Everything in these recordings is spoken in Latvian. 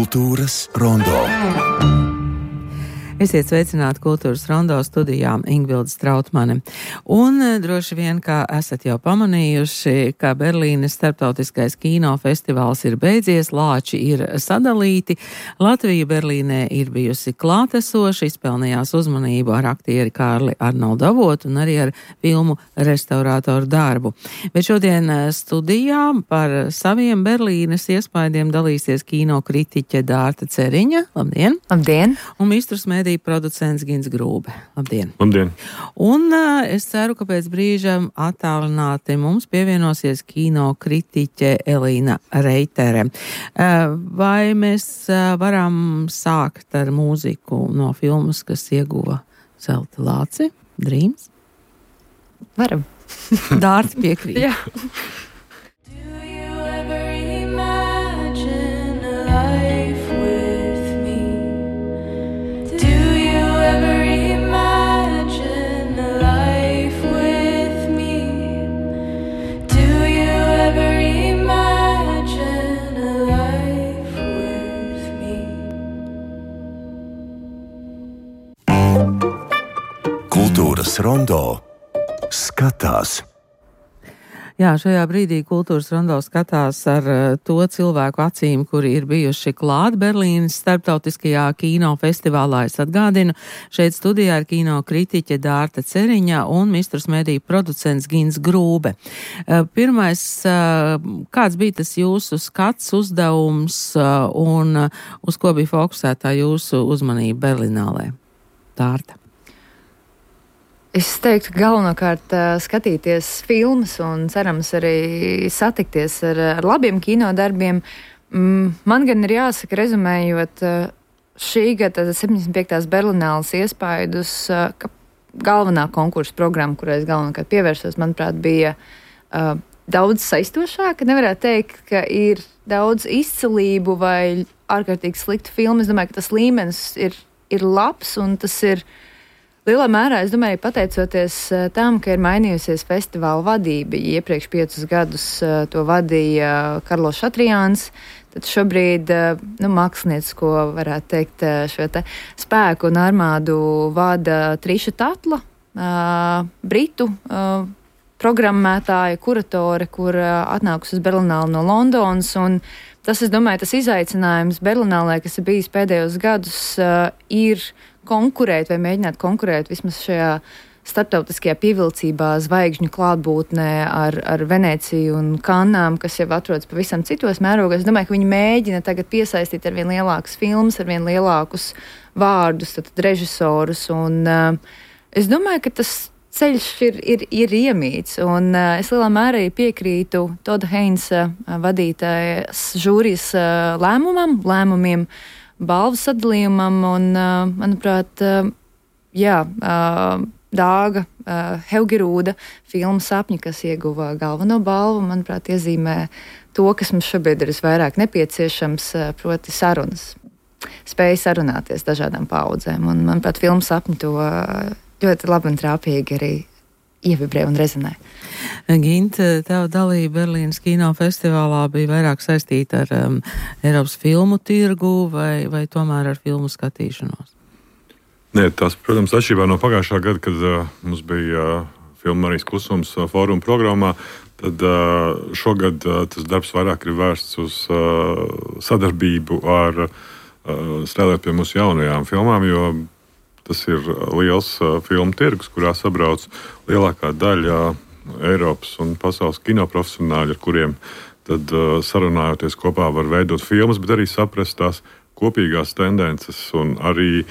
Kultūras rondo. Esiet sveicināti Kultūras rondo studijā Ingvilde Strautmane. Un droši vien, kā esat jau pamanījuši, ka Berlīnes starptautiskais kino festivāls ir beidzies, lāči ir sadalīti. Latvija Berlīnē ir bijusi klātesoša, izpelnījās uzmanību ar aktieri Kārli Arnoldu Avotu un arī ar filmu restaurātoru darbu. Bet šodien studijā par saviem Berlīnes iespaidiem dalīsies kino kritiķe Dārta Ceriņa. Labdien! Labdien! Un Mistrus mediju producents Gins Grūbe. Labdien! Labdien! Un es ceru, ka pēc brīža attālināti mums pievienosies kino kritiķe Elīna Reitere. Vai mēs varam sākt ar mūziku no filmas, kas ieguva zelta lāci? Dreams? Varam. Dārta piekrīt. Jā. Kultūras rondo skatās. Jā, šajā brīdī Kultūras rondo skatās ar to cilvēku acīm, kuri ir bijuši klāt Berlīnes starptautiskajā kino festivālā. Es atgādinu, šeit studijā ir kino kritiķe Dārta Ceriņa un Mistrus mediju producents Gins Grūbe. Pirmais, kāds bija tas jūsu skats, uzdevums un uz ko bija fokusētā jūsu uzmanība Berlinālē? Dārta. Es teiktu, galvenokārt skatīties filmas un cerams arī satikties ar labiem kinodarbiem. Man gan ir jāsaka, rezumējot šī gada 75. Berlināles iespaidus, ka galvenā konkursa programma, kurai es galvenokārt pievērsos, manuprāt, bija daudz saistošāka. Nevarētu teikt, ka ir daudz izcilību vai ārkārtīgi sliktu filmu. Es domāju, ka tas līmenis ir labs un tas ir lielā mērā, es domāju, pateicoties tam, ka ir mainījusies festivāla vadība. Iepriekš 5 gadus to vadīja Karlos Šatrijāns, tad šobrīd māksliniecisko, varētu teikt, šo te spēku un armādu vada Triša Tatla, britu programmētāja, kuratore, kur atnākusi uz Berlināli no Londonas. Un tas, es domāju, tas izaicinājums Berlinālē, kas ir bijis pēdējos gadus, ir konkurēt vai mēģināt konkurēt vismaz šajā starptautiskajā pievilcībā zvaigžņu klātbūtnē ar Venēciju un Kannām, kas jau atrodas pavisam citos mērogos. Es domāju, ka viņi mēģina tagad piesaistīt ar vien lielākas filmas, ar vien lielākus vārdus, tad režisorus. Un es domāju, ka tas ceļš ir iemīts. Un es lielā mērā piekrītu Toda Heinsa vadītājas žūrijas lēmumiem, balvu sadalījumam un, manuprāt, Dāga Heugerūda filma Sapņi, kas ieguva galveno balvu, manuprāt, iezīmē to, kas mums šobrīd ir visvairāk nepieciešams, proti sarunas. Spēja sarunāties dažādām paudzēm. Un, manuprāt, filma Sapņi to ļoti labi un trāpīgi arī ievibrē un rezonē. Gint, tev dalība Berlīnes kino festivālā bija vairāk saistīta ar Eiropas filmu tirgu vai tomēr ar filmu skatīšanos? Nē, tas, protams, atšķirībā no pagājušā gada, kad mums bija filma Marijas Klusums fóruma programmā, tad šogad tas darbs vairāk ir vērsts uz sadarbību ar strādāt pie mūsu jaunajām filmām, jo tas ir liels filmu tirgus, kurā sabrauc lielākā daļa Eiropas un pasaules kinoprofesionāļi, ar kuriem tad sarunājoties kopā var veidot filmas, bet arī saprast tās kopīgās tendences un arī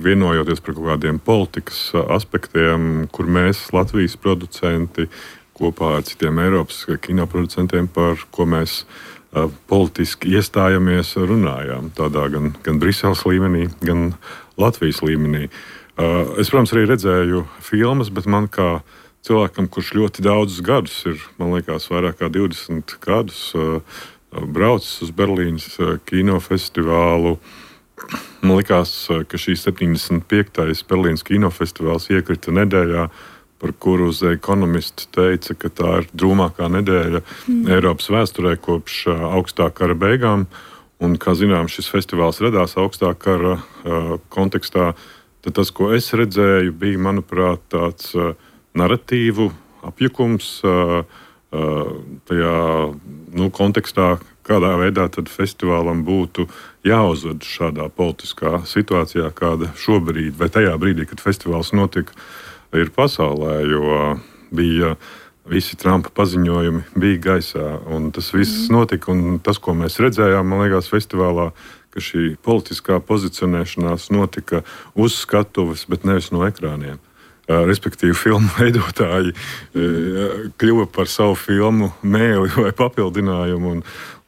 vienojoties par kaut kādiem politikas aspektiem, kur mēs, Latvijas producenti, kopā ar citiem Eiropas kinoproducentiem, par ko mēs politiski iestājamies, runājām. Tādā gan Briseles līmenī, gan Latvijas līmenī. Es, protams, arī redzēju filmas, bet man kā cilvēkam, kurš ļoti daudzus gadus ir, man liekas, vairāk kā 20 gadus braucis uz Berlīnes kinofestivālu, man likās, ka šī 75. Berlīnes kinofestivāls iekrita nedēļā, par kuru The Economist teica, ka tā ir drūmākā nedēļa Eiropas vēsturē kopš augstā kara beigām. Un, kā zinām, šis festivāls radās augstākā kara kontekstā. Tad tas, ko es redzēju, bija, manuprāt, tāds narratīvu apjukums tajā kontekstā, kādā veidā tad festivālam būtu jāuzved šādā politiskā situācijā, kāda šobrīd, vai tajā brīdī, kad festivāls notika, ir pasaulē, jo bija visi Trumpa paziņojumi bija gaisā, un tas viss notika, un tas, ko mēs redzējām, man liekas, festivālā, ka šī politiskā pozicionēšanās notika uz skatuves, bet nevis no ekrāniem. Respektīvi, filmu veidotāji kļuva par savu filmu mēli vai papildinājumu,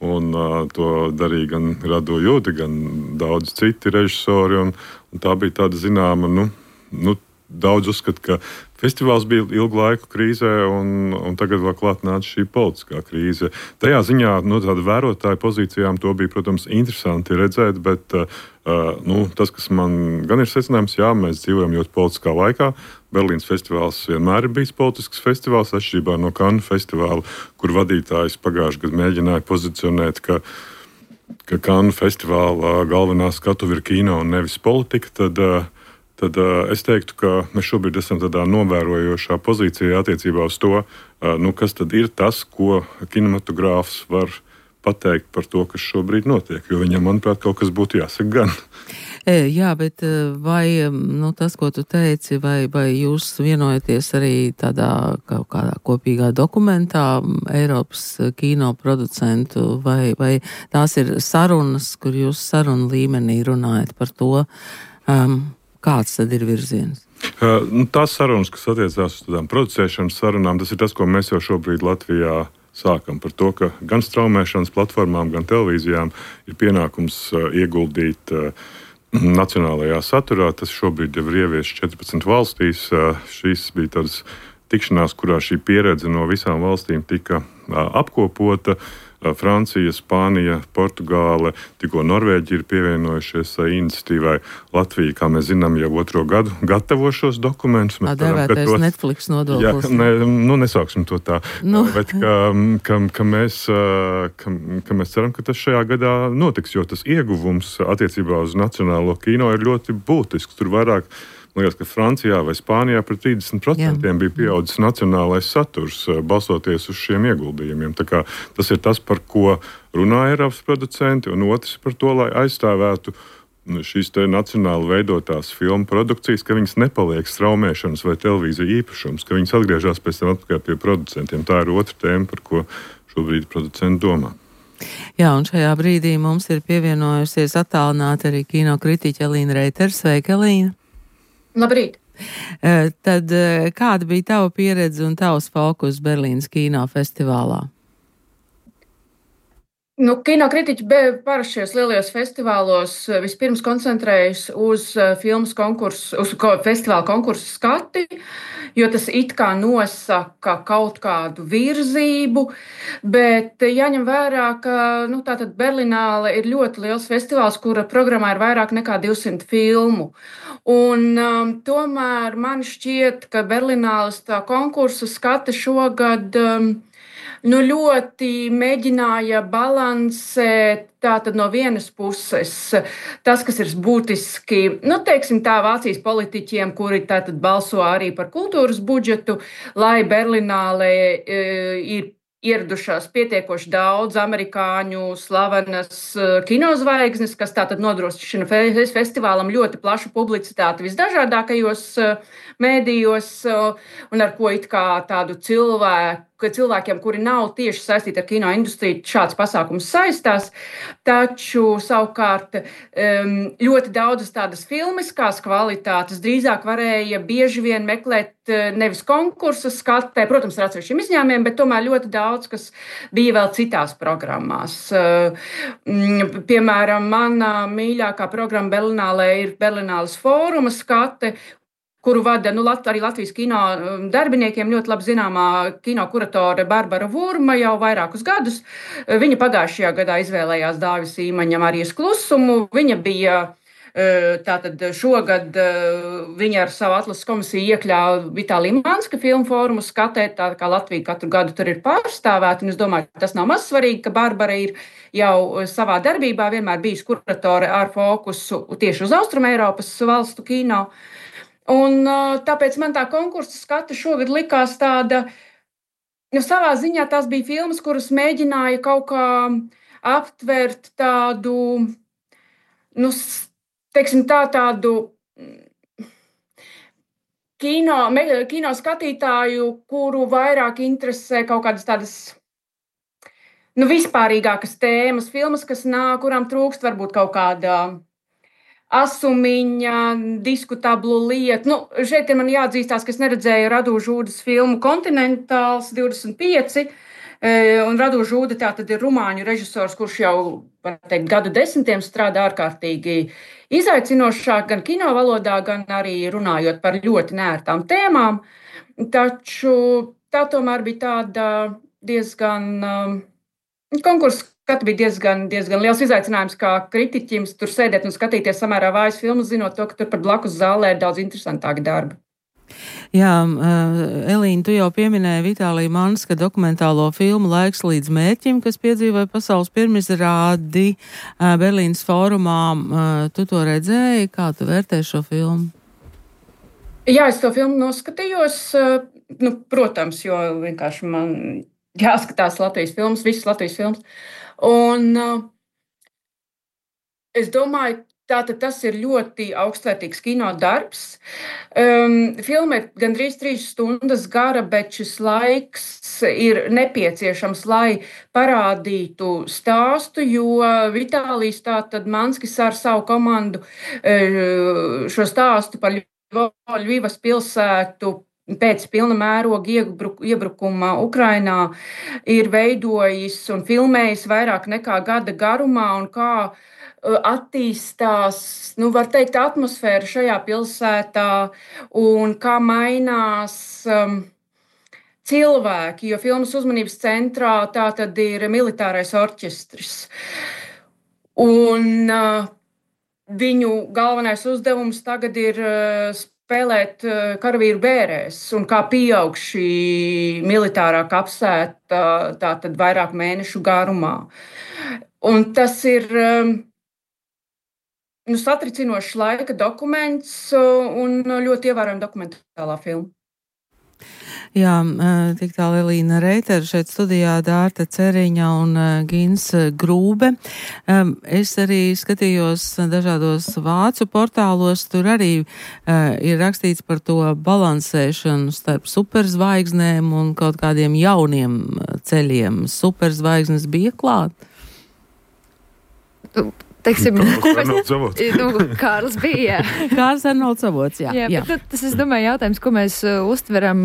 un to darīja gan Rado Jude, gan daudz citi režisori, un tā bija tāda zināma, daudz uzskata, ka festivāls bija ilgu laiku krīzē, un tagad vēl klāt nāca šī politiskā krīze. Tajā ziņā no tāda vērotāja pozīcijām to bija, protams, interesanti redzēt, bet tas, kas man gan ir secinājums, jā, mēs dzīvojam ļoti politiskā laikā. Berlīnas festivāls vienmēr ir bijis politisks festivāls, atšķirībā no Cannes festivāla, kur vadītājs pagājušajā gadā mēģināja pozicionēt, ka Cannes festivāla galvenā skatuve ir kino un nevis politika, tad es teiktu, ka mēs šobrīd esam tādā novērojošā pozīcijā attiecībā uz to, kas tad ir tas, ko kinematogrāfs var pateikt par to, kas šobrīd notiek, jo viņam, manuprāt, kaut kas būtu jāsaka gan. Jā, bet vai tas, ko tu teici, vai jūs vienojaties arī tādā kaut kādā kopīgā dokumentā Eiropas kino producentu, vai tās ir sarunas, kur jūs sarunu līmenī runājat par to, kāds tad ir virziens? Tās sarunas, kas attiecās uz tādām producēšanas sarunām, tas ir tas, ko mēs jau šobrīd Latvijā sākam par to, ka gan straumēšanas platformām, gan televīzijām ir pienākums ieguldīt nacionālajā saturā. Tas šobrīd jau ir ieviests 14 valstīs. Šīs bija tādas tikšanās, kurā šī pieredze no visām valstīm tika apkopota. Francija, Spānija, Portugāle, tikko Norvēģija ir pievienojušies iniciatīvai. Latvija, kā mēs zinām, jau 2. gadu gatavo šos dokumentus. Tā dēvētais Netflix nodoklis. Nesauksim to tā. Bet ka mēs ceram, ka tas šajā gadā notiks, jo tas ieguvums attiecībā uz nacionālo kino ir ļoti būtisks. Tur vairāk, man liekas, ka Francijā vai Spānijā par 30% bija pieaudzis nacionālais saturs, balstoties uz šiem ieguldījumiem. Tā kā tas ir tas, par ko runā Eiropas producenti, un otrs par to, lai aizstāvētu šīs te nacionāli veidotās filmu produkcijas, ka viņas nepaliek straumēšanas vai televīzija īpašums, ka viņas atgriežas pēc tam atpakaļ pie producentiem. Tā ir otra tēma, par ko šobrīd producenti domā. Jā, un šajā brīdī mums ir pievienojusies attālināti arī kino kritiķe Elīna Reitera. Sveika, Elīna! Labrīt! Tad kāda bija tava pieredze un tavs fokus Berlīnas kino festivālā? Kino kritiķi parasti šajos lielajos festivālos vispirms koncentrējas uz filmas konkursu, uz festivāla konkursu skati, jo tas it kā nosaka kaut kādu virzību, bet jāņem vērā, ka tātad Berlināle ir ļoti liels festivāls, kura programmā ir vairāk nekā 200 filmu. Un tomēr man šķiet, ka Berlināles tā konkursu skata šogad ļoti mēģināja balansēt tātad no vienas puses tas, kas ir būtiski, teiksim tā, Vācijas politiķiem, kuri tātad balso arī par kultūras budžetu, lai Berlinālē ir ieradušās pietiekoši daudz amerikāņu slavenas kinozvaigznes, kas tātad nodrošina festivālam ļoti plašu publicitāti visdažādākajos mēdījos, un ar ko it kā tādu cilvēkiem, kuri nav tieši saistīti ar kino industriju, šāds pasākums saistās. Taču savukārt ļoti daudzas tādas filmiskās kvalitātes drīzāk varēja bieži vien meklēt nevis konkursa skatē, protams, ar atsevišķiem izņēmumiem, bet tomēr ļoti daudz, kas bija vēl citās programmās. Piemēram, mana mīļākā programma Berlinālē ir Berlināles fóruma skate, kuru vada arī Latvijas kino darbiniekiem ļoti labi zināmā kino kuratore Barbara Vurma jau vairākus gadus. Viņa pagājušajā gadā izvēlējās Dāvis Īmaņa Marijas klusumu. Viņa bija Tātad šogad viņa ar savu atlases komisiju iekļāva Vitālija Manska filmu fórumu skatē, tā kā Latvija katru gadu tur ir pārstāvēta, un es domāju, ka tas nav maz svarīgi, ka Barbara ir jau savā darbībā vienmēr bijusi kuratore ar fokusu tieši uz Austrumeiropas valstu kino. Un tāpēc man tā konkursa skata šogad likās tāda, savā ziņā tās bija filmas, kuras mēģināja kaut kā aptvert tādu, teiksim tādu kino skatītāju, kuru vairāk interesē kaut kādas tādas vispārīgākas tēmas, filmas, kurām trūkst varbūt kaut kāda asumiņa, diskutablu lietu. Šeit man jāatzīstās, ka es neredzēju Radu Žūdas filmu Kontinentāls 25, un Radu Žūda tā tad ir rumāņu režisors, kurš jau, var teikt, gadu desmitiem strādā ārkārtīgi izaicinošāk gan kino valodā, gan arī runājot par ļoti neērtām tēmām. Taču tā tomēr bija tāda diezgan konkurss, kad bija diezgan liels izaicinājums kā kritiķim tur sēdēt un skatīties samērā vājas filmas, zinot to, ka tur pat blakus zālē ir daudz interesantāki darbi. Jā, Elīna, tu jau pieminēji Vitālija Manska dokumentālo filmu Laiks līdz mērķim, kas piedzīvoja pasaules pirmizrādi Berlīnas fórumā. Tu to redzēji? Kā tu vērtē šo filmu? Jā, es to filmu noskatījos, protams, jo vienkārši man jāskatās Latvijas filmas, visas Latvijas filmas. Un es domāju, tātad tas ir ļoti augstvērtīgs kino darbs. Filma ir gandrīz 3 stundas gara, bet šis laiks ir nepieciešams, lai parādītu stāstu, jo Vitālijs tātad Manskis ar savu komandu šo stāstu par Ļvivas pilsētu pēc pilna mēroga iebrukuma Ukrainā ir veidojis un filmējis vairāk nekā gada garumā, un kā attīstās, var teikt, atmosfēra šajā pilsētā un kā mainās cilvēki, jo filmas uzmanības centrā tā tad ir militārais orķestris. Un viņu galvenais uzdevums tagad ir spēlēt karavīru bērēs, un kā pieaug šī militārā kapsēta tātad vairāk mēnešu garumā. Un tas ir satricinošs laika dokuments un ļoti ievērojama dokumentālā filma. Jā, tik tālu Elīna Reitera šeit studijā, Dārta Ceriņa un Gins Grūbe. Es arī skatījos dažādos vācu portālos, tur arī ir rakstīts par to balansēšanu starp superzvaigznēm un kaut kādiem jauniem ceļiem. Superzvaigznes bija klāt? Teiksim, Kārlis bija. Kārlis Arnolds Avots, jā. Bet tas, es domāju, jautājums, ko mēs uztveram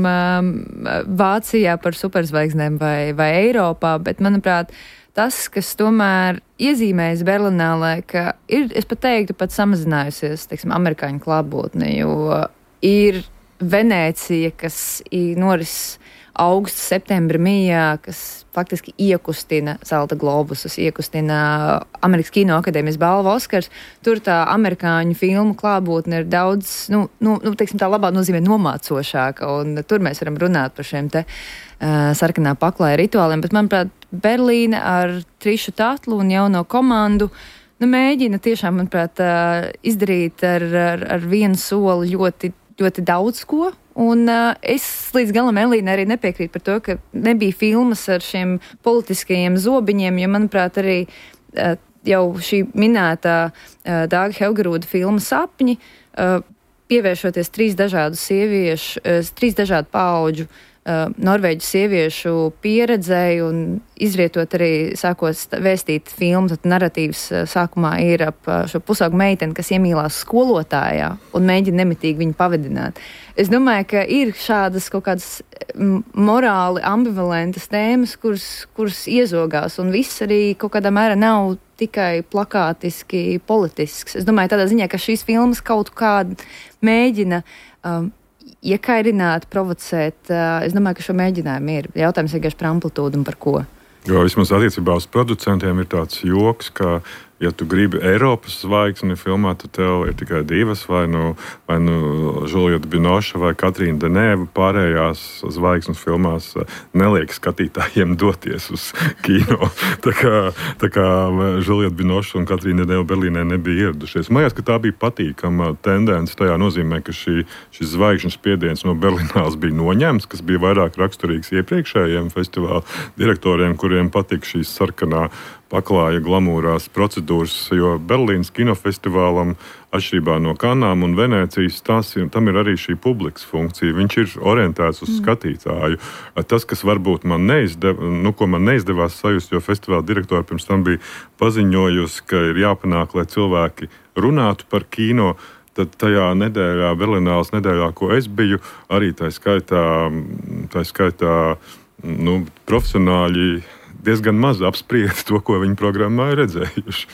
Vācijā par superzvaigznēm vai Eiropā, bet, manuprāt, tas, kas tomēr iezīmējas Berlīnē, ka ir, es pat teiktu, pat samazinājusies, teiksim, amerikāņu klātbūtne, jo ir Venēcija, kas noris augusta, septembra mījā, kas faktiski iekustina Zelta globusus, iekustina Amerikas Kino akadēmijas balvu Oskars. Tur tā amerikāņu filmu klātbūtne ir daudz, teiksim, tā labā nozīmē nomācošāka, un tur mēs varam runāt par šiem te sarkanā paklāja rituāliem, bet, manuprāt, Berlīne ar Trišu Tatlu un jauno komandu mēģina tiešām, manuprāt, izdarīt ar vienu soli ļoti, ļoti daudz ko. Un es līdz galam Elīna arī nepiekrītu par to, ka nebija filmas ar šiem politiskajiem zobiņiem, jo, manuprāt, arī jau šī minētā Dāga Helgerūda filma Sapņi, pievēršoties 3 dažādu paudžu norvēģu sieviešu pieredzēji un izvietot arī, sākot vēstīt filmu, tad narratīvs sākumā ir ap šo pusaugu meiteni, kas iemīlās skolotājā un mēģina nemitīgi viņu pavadināt. Es domāju, ka ir šādas kaut kādas morāli ambivalentas tēmas, kuras iezogās, un viss arī kaut kādā mērā nav tikai plakātiski politisks. Es domāju tādā ziņā, ka šīs filmas kaut kādā mēģina iekairināt, provocēt. Es domāju, ka šo mēģinājumu ir. Jautājums vienkārši par amplitūdu un par ko. Jo vismaz attiecībā uz producentiem ir tāds joks, ka ja tu gribi Eiropas zvaigzni filmā, tad tev ir tikai divas, vai nu Julieta Binoša vai Katrīna Denēva. Pārējās zvaigznes filmās neliek skatītājiem doties uz kino. Tā kā Julieta Binoša un Katrīna Denēva Berlīnē nebija ieradušies. Man liekas, ka tā bija patīkama tendence tajā nozīmē, ka šis zvaigžņu spiediens no Berlīnās bija noņemts, kas bija vairāk raksturīgs iepriekšējiem festivāla direktoriem, kuriem patika šīs sarkanā paklāja glamūrās procedūras, jo Berlīnas kinofestivālam, atšķirībā no Kanām un Venēcijas, tam ir arī šī publikas funkcija. Viņš ir orientēts uz skatītāju. Tas, kas varbūt man neizdevās sajust, jo festivāla direktori pirms tam bija paziņojusi, ka ir jāpanāk, lai cilvēki runātu par kino, tad tajā nedēļā, Berlīnāles nedēļā, ko es biju, arī tā skaitā profesionāļi diezgan maz apsprieda to, ko viņi programmā ir redzējuši.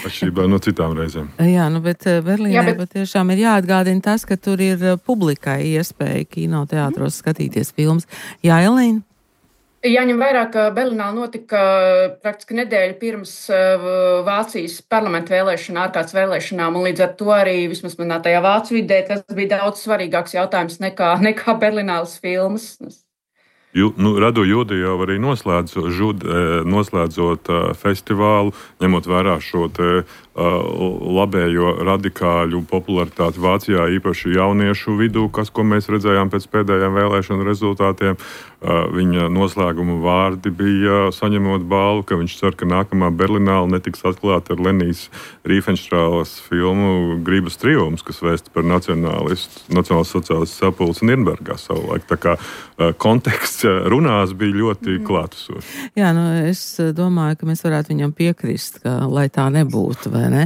Atšķirībā no citām reizēm. Jā, bet Berlīnē patiešām ir jāatgādina tas, ka tur ir publikai iespēja kinoteātros skatīties filmas. Jā, Elīna? Jāņem vērā, ka Berlīnā notika praktiski nedēļa pirms Vācijas parlamenta ārkārtas vēlēšanām, un līdz ar to arī vismaz manā tajā vācu vidē tas bija daudz svarīgāks jautājums nekā Berlīnāles filmas. Radu Jude jau arī noslēdzot festivālu, ņemot vērā šo labējo radikāļu popularitāti Vācijā, īpaši jauniešu vidū, ko mēs redzējām pēc pēdējiem vēlēšanu rezultātiem. Viņa noslēguma vārdi bija saņemot balvu, ka viņš cer, ka nākamā Berlīnāle netiks atklāta ar Lenijas Riefenstrāles filmu Grības triumfs, kas vēsta par nacionālas sociālistu sapulci Nirnbergā savulaik. Tā kā konteksts runās bija ļoti klātesošs. Jā, es domāju, ka mēs varētu viņam piekrist, lai tā nebūtu, vai ne?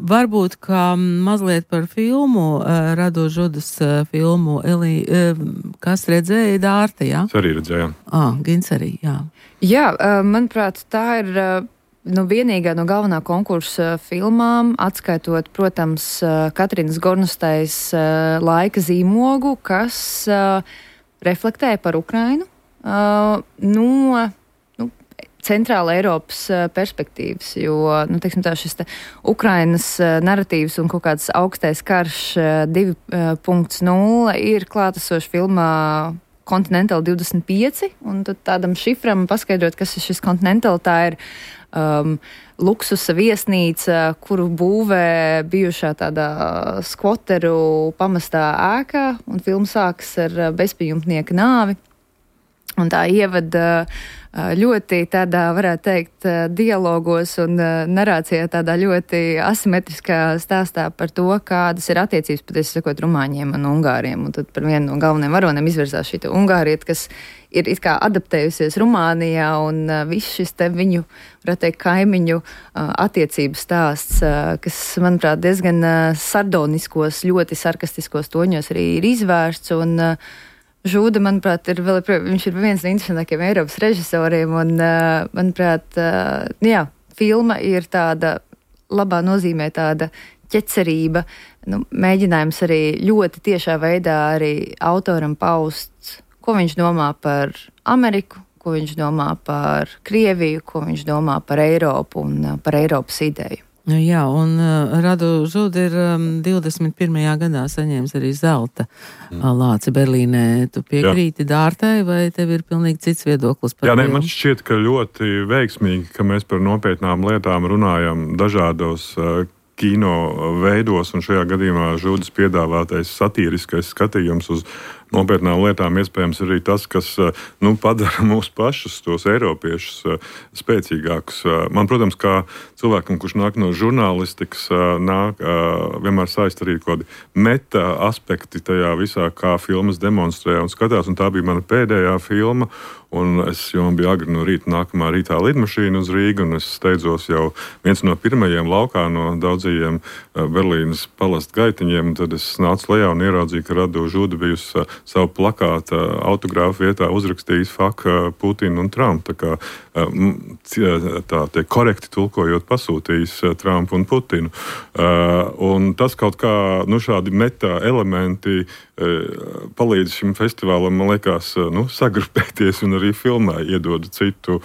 Varbūt, ka mazliet par filmu, Radu Žudas filmu, kas redzēja Dārta, jā? Arī redzējām. Gins arī, jā. Jā, manuprāt, tā ir vienīgā no galvenā konkursa filmām, atskaitot, protams, Katrīnas Gornostais laika zīmogu, kas reflektēja par Ukrainu no centrāla Eiropas perspektīvas, jo, šis Ukrainas naratīvs un kaut kāds augstais karš 2.0 ir klātesoši filmā Continental 25, un tad tādam šifram paskaidrot, kas ir šis Continental, tā ir luksusa viesnīca, kuru būvē bijušā tādā skvoteru pamestā ēkā, un filma sākas ar bezpajumtnieka nāvi. Un tā ievada ļoti tādā, varētu teikt, dialogos un narācijā tādā ļoti asimetriskā stāstā par to, kādas ir attiecības, patiesi sakot, rumāņiem un ungāriem. Un tad par vienu no galvenajiem varoniem izvirzās šī ungārieta, kas ir it kā adaptējusies Rumānijā, un viss šis te viņu, varētu teikt, kaimiņu attiecības stāsts, kas, manuprāt, diezgan sardoniskos, ļoti sarkastiskos toņos arī ir izvērsts, un Žuda, manuprāt, viņš ir viens no interesantākajiem Eiropas režisoriem, un, manuprāt, filma ir tāda, labā nozīmē tāda ķecerība, mēģinājums arī ļoti tiešā veidā arī autoram paust, ko viņš domā par Ameriku, ko viņš domā par Krieviju, ko viņš domā par Eiropu un par Eiropas ideju. Jā, un Radu Žuda ir 21. gadā saņēmis arī zelta lāci Berlīnē. Tu piekrīti Dārtai, vai tev ir pilnīgi cits viedoklis par filmu? Man šķiet, ka ļoti veiksmīgi, ka mēs par nopietnām lietām runājam dažādos kino veidos, un šajā gadījumā Žudas piedāvātais satīriskais skatījums uz nopietnām lietām iespējams arī tas, kas padara mūs pašus, tos eiropiešus, spēcīgākus. Man, protams, kā cilvēkam, kurš nāk no žurnālistikas, vienmēr saist arī kaut kādi meta aspekti tajā visā, kā filmas demonstrē un skatās, un tā bija mana pēdējā filma, un man bija agri no rīta nākamā rītā lidmašīna uz Rīgu, un es steidzos jau viens no pirmajiem laukā no daudzajiem Berlīnas palastu gaitiņiem, un tad es nācu lejā un ieraudzīju, ka Radu Žuda bijusi savu plakātu autogrāfu vietā uzrakstījis Fuck Putinu un Trumpu. Tā korekti tulkojot pasūtījis Trumpu un Putinu. Un tas kaut kā, šādi meta elementi palīdz šim festivālam, man liekas, sagrupēties un arī filmā iedod citu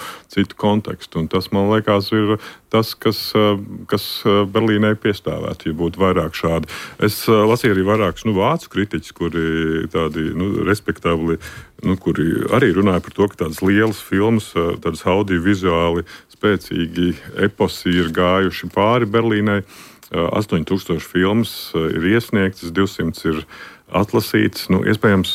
kontekstu. Un tas, man liekas, ir tas, kas Berlīnai piestāvētu, ja būtu vairāk šādi. Es lasīju arī vairākus vācu kritiķus, kuri tādi respektabli, kuri arī runāja par to, ka tādas lielas filmas, tādas audiovizuāli spēcīgi eposi ir gājuši pāri Berlīnai. 8000 filmas ir iesniegtas, 200 ir atlasīts. Iespējams,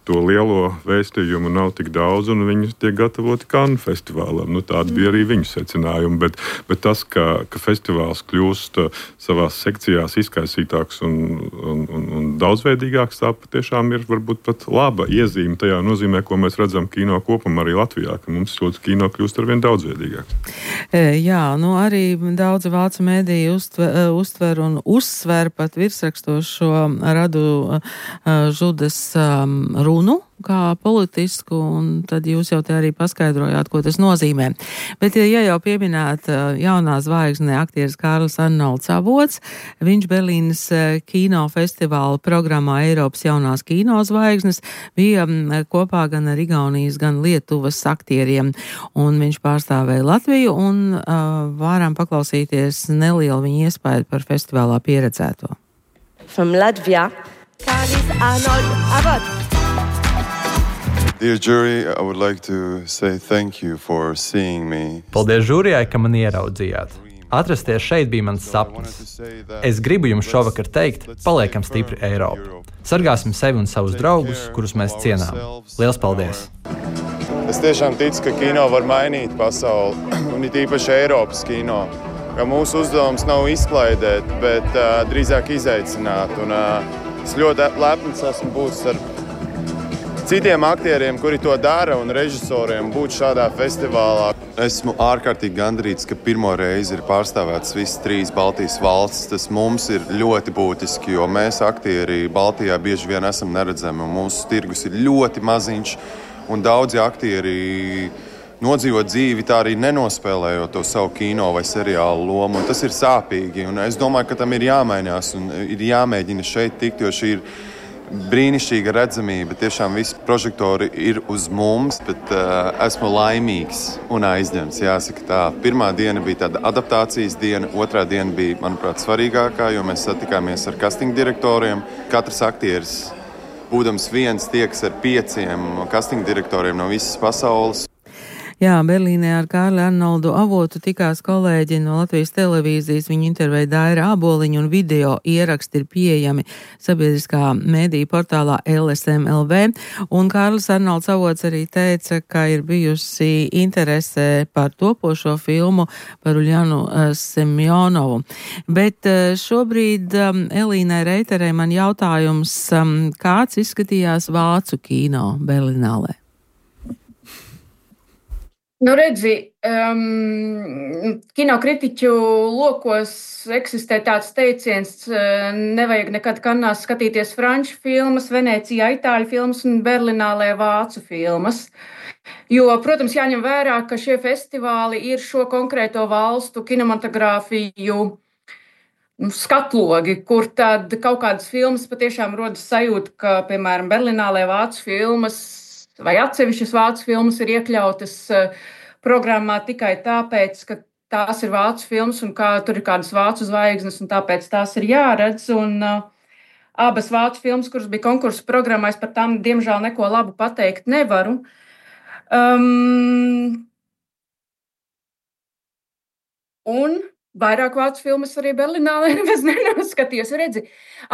to lielo vēstījumu nav tik daudz, un viņi tiek gatavoti Cannes festivālam. Tādi bija arī viņu secinājumi. Bet tas, ka festivāls kļūst savās sekcijās izkaisītāks un daudzveidīgāks, tā patiešām ir varbūt pat laba iezīme tajā nozīmē, ko mēs redzam kino kopumā arī Latvijā, ka mums ļoti kino kļūst arvien daudzveidīgāks. Jā, arī daudzi vācu mēdīji uztver un uzsver pat virsrakstos šo Radu Žudas runu kā politisku, un tad jūs jau te arī paskaidrojāt, ko tas nozīmē. Bet, ja jau pieminēt jaunā zvaigzne aktieris Kārlis Arnolds Avots, viņš Berlīnes kinofestivāla programmā Eiropas jaunās kinozvaigznes bija kopā gan ar Igaunijas, gan Lietuvas aktieriem, un viņš pārstāvēja Latviju, un varam paklausīties nelielu viņa iespēju par festivālā pieredzēto. From Latvia, Kārlis Arnolds Avots. Dear jury, I would like to say thank you for seeing me. Paldies žūrijai, ka mani ieraudzījāt. Atrasties šeit bija mans sapnis. Es gribu jums šovakar teikt, paliekam stipri Eiropu. Sargāsim sevi un savus draugus, kurus mēs cienām. Liels paldies! Es tiešām ticu, ka kino var mainīt pasauli, un it īpaši Eiropas kino. Ka mūsu uzdevums nav izklaidēt, bet drīzāk izaicināt. Un, es ļoti lepns esmu būt ar citiem aktieriem, kuri to dara, un režisoriem būt šādā festivālā. Esmu ārkārtīgi gandarīts, ka pirmo reizi ir pārstāvētas visas 3 Baltijas valstis. Tas mums ir ļoti būtiski, jo mēs aktieri Baltijā bieži vien esam neredzami, un mūsu tirgus ir ļoti maziņš, un daudzi aktieri nodzīvo dzīvi tā arī nenospēlējot to savu kino vai seriālu lomu, un tas ir sāpīgi, un es domāju, ka tam ir jāmainās, un ir jāmēģina šeit tikt, jo šī ir brīnišķīga redzamība. Tiešām visi prožektori ir uz mums, bet esmu laimīgs un aizņemts. Jāsaka tā, pirmā diena bija tāda adaptācijas diena, otrā diena bija, manuprāt, svarīgākā, jo mēs satikāmies ar casting direktoriem. Katrs aktieris, būdams viens, tieks ar 5 casting direktoriem no visas pasaules. Jā, Berlīnē ar Kārli Arnoldu Avotu tikās kolēģi no Latvijas televīzijas, viņu intervēja Daira Āboliņa, un video ieraksti ir pieejami sabiedriskā mēdīja portālā LSM.LV, un Kārlis Arnolds Avots arī teica, ka ir bijusi interese par topošo filmu par Uljanu Semjonovu. Bet šobrīd Elīnai Reiterei man jautājums, kāds izskatījās vācu kino Berlinālē? Redzi, kinokritiķu lokos eksistē tāds teiciens, nevajag nekad Kannās skatīties franču filmas, Venecijā itāļu filmas un Berlinālē vācu filmas. Jo, protams, jāņem vērā, ka šie festivāli ir šo konkrēto valstu kinematogrāfiju skatlogi, kur tad kaut kādas filmas patiešām rodas sajūta, ka, piemēram, Berlinālē vācu filmas vai atsevišķas vācu filmas ir iekļautas programmā tikai tāpēc, ka tās ir vācu filmas un kā tur ir kādas vācu zvaigznes, un tāpēc tās ir jāredz. Un abas vācu filmas, kuras bija konkursu programmā, es par tām, diemžēl, neko labu pateikt nevaru. Un vairāk vācu filmas arī Berlinālē nemaz nenoskatījos. Redzi,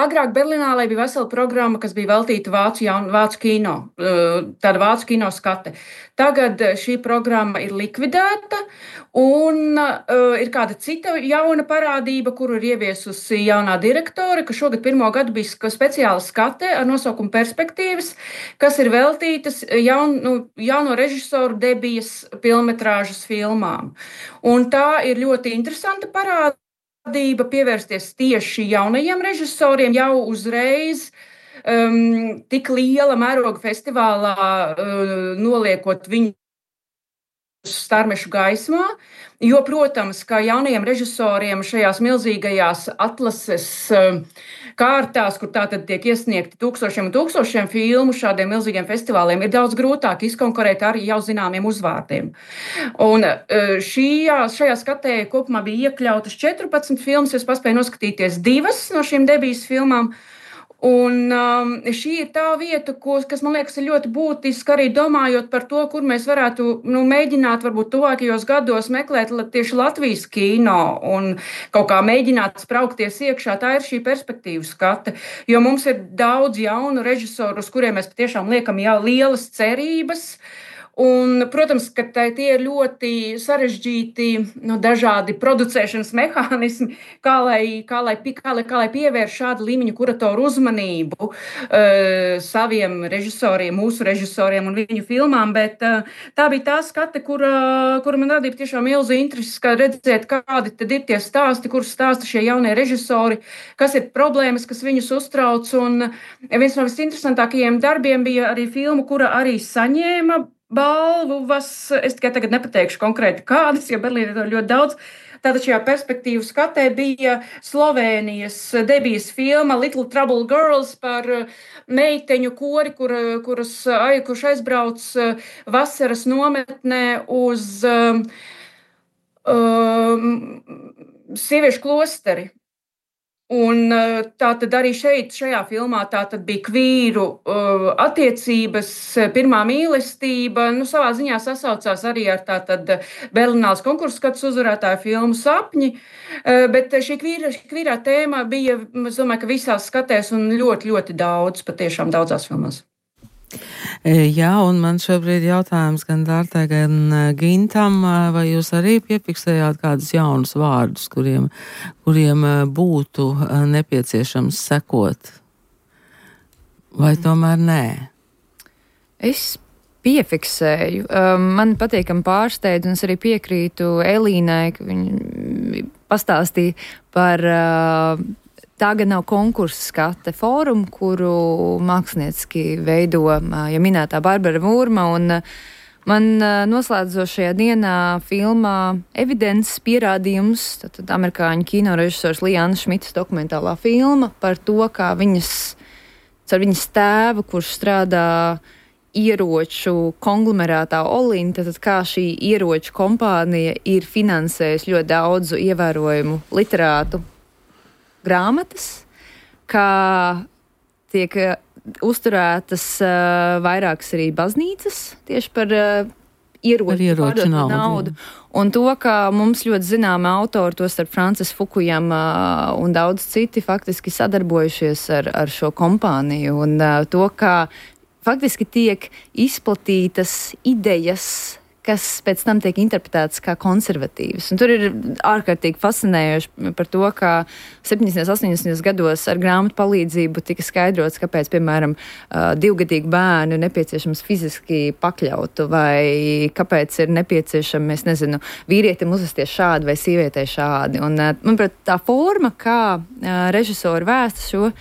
agrāk Berlinālē bija vesela programma, kas bija veltīta vācu kino, tāda vācu kino skate. Tagad šī programma ir likvidēta, un ir kāda cita jauna parādība, kuru ir ieviesusi jaunā direktore, ka šogad pirmo gadu bija speciāla skate ar nosaukumu Perspektīvas, kas ir veltītas jauno režisoru debijas filmetrāžas filmām. Un tā ir ļoti interesanta parādība pievērsties tieši jaunajiem režisoriem jau uzreiz tik liela mēroga festivālā noliekot viņu starmešu gaismā, jo, protams, kā jaunajiem režisoriem šajās milzīgajās atlases kārtās, kur tātad tiek iesniegti tūkstošiem un tūkstošiem filmu šādiem milzīgiem festivāliem, ir daudz grūtāk izkonkurēt arī jau zināmiem uzvārdiem. Un šajā skatē kopumā bija iekļautas 14 filmas, es paspēju noskatīties 2 no šīm debijas filmām. Un šī ir tā vieta, kas, man liekas, ir ļoti būtiska arī domājot par to, kur mēs varētu mēģināt varbūt tuvākajos gados meklēt tieši Latvijas kino un kaut kā mēģināt spraukties iekšā. Tā ir šī perspektīvu skate, jo mums ir daudz jaunu režisoru, uz kuriem mēs patiešām liekam jau lielas cerības. Un, protams, ka tie ir ļoti sarežģīti dažādi producēšanas mehānismi, kā lai pievērš šādu līmeņu kuratoru uzmanību saviem režisoriem, mūsu režisoriem un viņu filmām, bet tā bija tā skate, kura man radīja tiešām milzu interesi, redzēt, kādi tad ir tie stāsti, kurus stāsta šie jaunie režisori, kas ir problēmas, kas viņus uztrauc, un viens no visinteresantākajiem darbiem bija arī filma, kura arī saņēma balvas, es tikai tagad nepateikšu konkrēti kādas, jo Berlīnē ir ļoti daudz. Tātad šajā perspektīvu skatē bija Slovēnijas debijas filma Little Trouble Girls par meiteņu kori, kurš aizbrauc vasaras nometnē uz sieviešu klosteri. Un tā tad arī šajā filmā tā tad bija kvīru attiecības, pirmā mīlestība, savā ziņā sasaucās arī ar tā tad Berlināles konkursu skatus uzvarētāju filmu Sapņi, bet šī kvīrā tēma bija, es domāju, ka visās skatēs un ļoti, ļoti daudz, patiešām daudzās filmās. Jā, un man šobrīd jautājums gan Dārtai, gan Gintam, vai jūs arī piefiksējāt kādus jaunus vārdus, kuriem būtu nepieciešams sekot? Vai tomēr nē? Es piefiksēju. Man patīkam pārsteidz, un es arī piekrītu Elīnai, ka viņa pastāstīja par tā gan nav konkursa skate fórumu, kuru mākslinieciski veido ja minētā Barbara Mūrma, un man noslēdzošajā dienā filmā Evidences pierādījums, tad amerikāņu kinorežisors Liānas Šmitas dokumentālā filma par to, kā caur viņas tēvu, kurš strādā ieroču konglomerātā Olin, tad kā šī ieroču kompānija ir finansējusi ļoti daudzu ievērojumu literātu grāmatas, kā tiek uzturētas vairākas arī baznīcas tieši par ieroču naudu. Un to, ka mums ļoti zināmi autori, to starp Francis Fukujama un daudz citi, faktiski sadarbojušies ar šo kompāniju. Un to, ka faktiski tiek izplatītas idejas, kas pēc tam tiek interpretētas kā konservatīvas. Un tur ir ārkārtīgi fascinējoši par to, ka 70. un 80. gados ar grāmatu palīdzību tika skaidrots, kāpēc, piemēram, 2-gadīgu bērnu nepieciešams fiziski pakļaut, vai kāpēc ir nepieciešams, es nezinu, vīrietim uzvesties šādi vai sievietei šādi. Un, manuprāt, tā forma, kā režisori vēsta šo,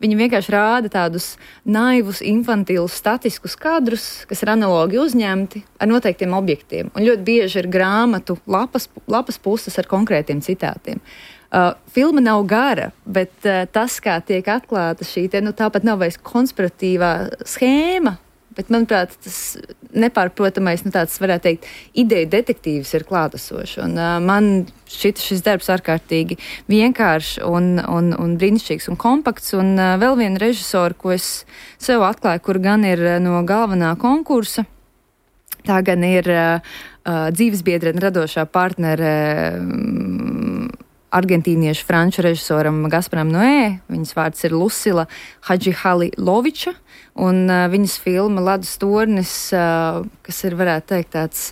viņi vienkārši rāda tādus naivus, infantīlus, statiskus kadrus, kas ir analogi uzņemti ar noteiktiem objektiem. Un ļoti bieži ir grāmatu lapas puses ar konkrētiem citātiem. Filma nav gara, bet tas, kā tiek atklāta šī tāpat nav vairs konspiratīvā schēma, bet, manuprāt, tas nepārprotamais, tāds varētu teikt, ideju detektīvs ir klātesošs. Un man šis darbs ārkārtīgi vienkāršs un brīnišķīgs un kompakts. Un vēl viena režisora, ko es sev atklāju, kur gan ir no galvenā konkursa, tā gan ir dzīvesbiedrene radošā partnere argentīniešu franču režisoram Gasparam Noé. Viņas vārds ir Lucila Hadžihaliloviča, un viņas filma Ledus tornis, kas ir, varētu teikt, tāds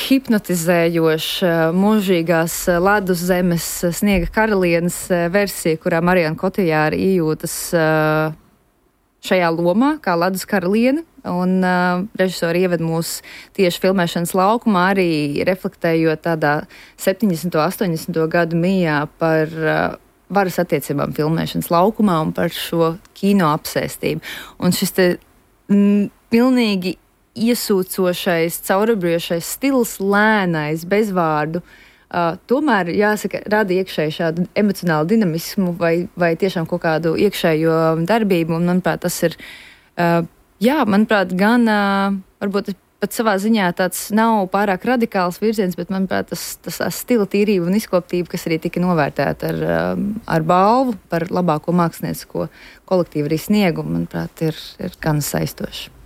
hipnotizējošs mūžīgās ledus zemes sniega karalienes versija, kurā Mariana Kotijāra ījūtas šajā lomā kā ledus karaliene. Un režisori ieved mūs tieši filmēšanas laukumā, arī reflektējot tādā 70. un 80. gadu mijā par varas attiecībām filmēšanas laukumā un par šo kino apsēstību. Un šis te pilnīgi iesūcošais, caurabriošais stils, lēnais, bezvārdu, tomēr, jāsaka, rada iekšēji šādu emocionālu dinamismu vai tiešām kaut kādu iekšējo darbību, un, manuprāt, tas ir, manuprāt, gan, varbūt pat savā ziņā tāds nav pārāk radikāls virziens, bet, manuprāt, tas stila tīrība un izkoptība, kas arī tika novērtēta ar balvu par labāko māksliniecisko kolektīvu arī sniegumu, manuprāt, ir gan saistoši.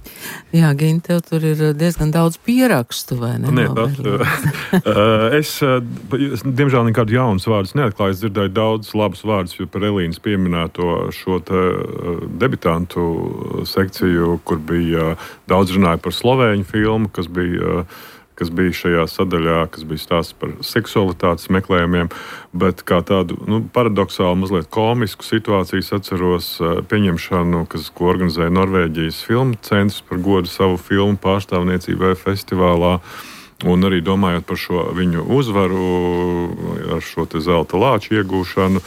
Jā, Gini, tev tur ir diezgan daudz pierakstu, vai ne? Es, diemžēl, nekādu jaunus vārdus neatklāju. Es dzirdēju daudz labus vārdus par Elīnas pieminēto šo debitantu sekciju, kur bija daudz runāja par slovēņu filmu, kas bija šajā sadaļā, kas bija stāsts par seksualitātes meklējumiem, bet kā tādu paradoxālu, mazliet komisku situāciju atceros pieņemšanu, ko organizēja Norvēģijas filmu centrs par godu savu filmu pārstāvniecībai festivālā. Un arī domājot par šo viņu uzvaru, ar šo zelta lāču iegūšanu,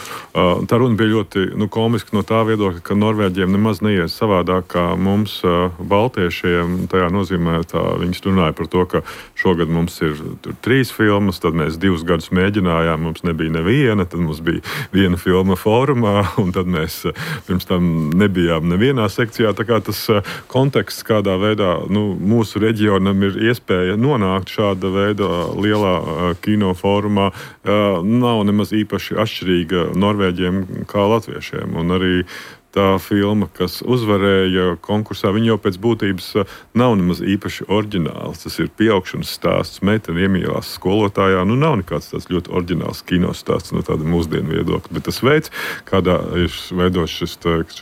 tā runa bija ļoti komiska no tā viedokļa, ka Norvēģiem nemaz neies savādāk kā mums, baltiešiem. Tajā nozīmē, viņi runāja par to, ka šogad mums ir 3 filmas, tad mēs 2 gadus mēģinājām, mums nebija neviena, tad mums bija viena filma fórumā, un tad mēs pirms tam nebijām nevienā sekcijā. Tā kā tas konteksts, kādā veidā mūsu reģionam ir iespēja nonākt šāda veida lielā kino fórumā, nav nemaz īpaši atšķirīga norvēģiem kā latviešiem. Un arī tā filma, kas uzvarēja konkursā, viņa jau pēc būtības nav nemaz īpaši oriģināls. Tas ir pieaugšanas stāsts, meitene iemīlās skolotājā. Nav nekāds tāds ļoti oriģināls kino stāsts no tāda mūsdienu viedokļa, bet tas veids, kādā ir veidots